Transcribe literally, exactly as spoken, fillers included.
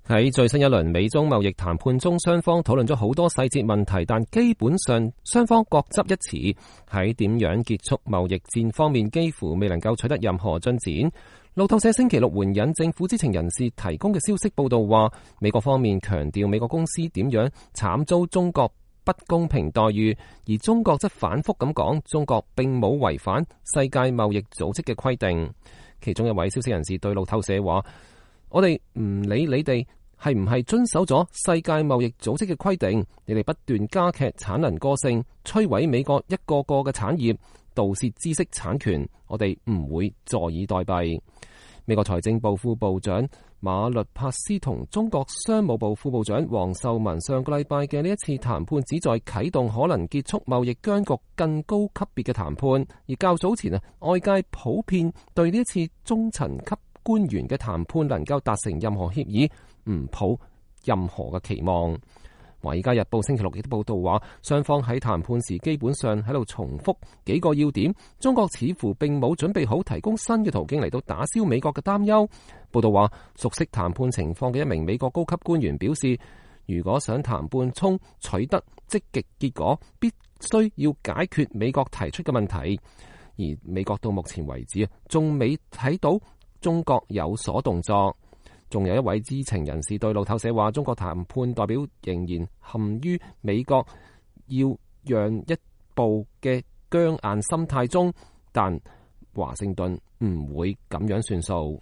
喺最新一輪美中貿易談判中，雙方討論咗好多細節問題，但基本上雙方各執一詞。喺點樣結束貿易戰方面，幾乎未能夠取得任何進展。路透社星期六援引政府知情人士提供嘅消息報道話，美國方面強調美國公司點樣慘遭中國不公平待遇，而中國則反覆咁講，中國並冇違反世界貿易組織嘅規定。其中一位消息人士對路透社話：我哋唔理你哋係唔係遵守咗世界貿易組織嘅規定，你哋不斷加劇產能過剩，摧毀美國一個個嘅產業，盜竊知識產權，我哋唔會坐以待斃。美國財政部副部長馬律帕斯同中國商務部副部長王受文上個禮拜嘅呢一次談判，旨在啟動可能結束貿易僵局更高級別嘅談判。而較早前啊，外界普遍對呢一次中層級官員嘅談判能夠達成任何協議唔抱任何嘅期望。華爾街日報星期六亦都報道話，雙方喺談判時基本上喺度重複幾個要點。中國似乎並冇準備好提供新嘅途徑嚟到打消美國嘅擔憂。報道話，熟悉談判情況嘅一名美國高級官員表示，如果想談判中取得積極結果，必須要解決美國提出嘅問題。而美國到目前為止啊，仲未睇到中國有所動作。仲有一位知情人士對路透社話，中國談判代表仍然陷於美國要讓一步嘅僵硬心態中，但華盛頓唔會咁樣算數。